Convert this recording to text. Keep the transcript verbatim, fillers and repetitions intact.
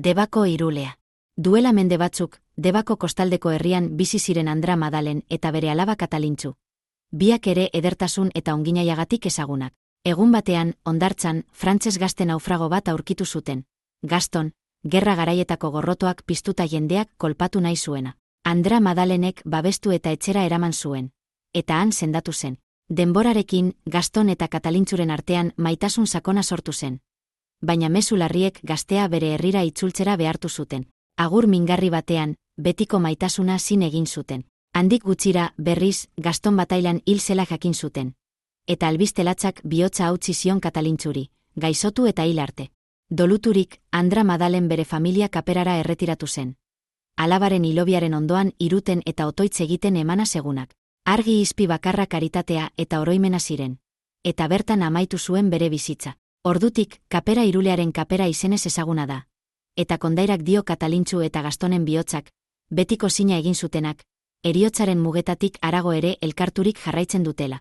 Debako irulea. Duela mende batzuk, Debako kostaldeko herrian bizi ziren Andra Madalen eta bere alaba Katalintxu. Biak ere edertasun eta onginaiagatik ezagunak. Egun batean, hondartzan, frantses gazte naufrago bat aurkitu zuten. Gaston, gerra garaietako gorrotoak piztuta jendeak kolpatu nahi zuena. Andra Madalenek babestu eta etxera eraman zuen. Eta han sendatu zen. Denborarekin, Gaston eta Katalintxuren artean maitasun sakona sortu zen. Baina mezu larriek gaztea bere herrira itzultzera behartu zuten. Agur mingarri batean, betiko maitasuna zin egin zuten. Handik gutxira, berriz, Gaston batailan hil zela jakin zuten. Eta albistelatzak bihotza hautsi zion Katalintxuri, gaixotu eta hil arte. Doluturik, Andra Madalen bere familia kaperara erretiratu zen. Alabaren hilobiaren ondoan iruten eta otoitz egiten emana segunak. Argi izpi bakarra karitatea eta oroimena ziren. Eta bertan amaitu zuen bere bizitza. Ordutik, kapera irulearen kapera izenez ezaguna da. Eta kondairak dio Katalintxu eta Gastonen bihotzak, betiko zina egin zutenak, heriotzaren mugetatik harago ere elkarturik jarraitzen dutela.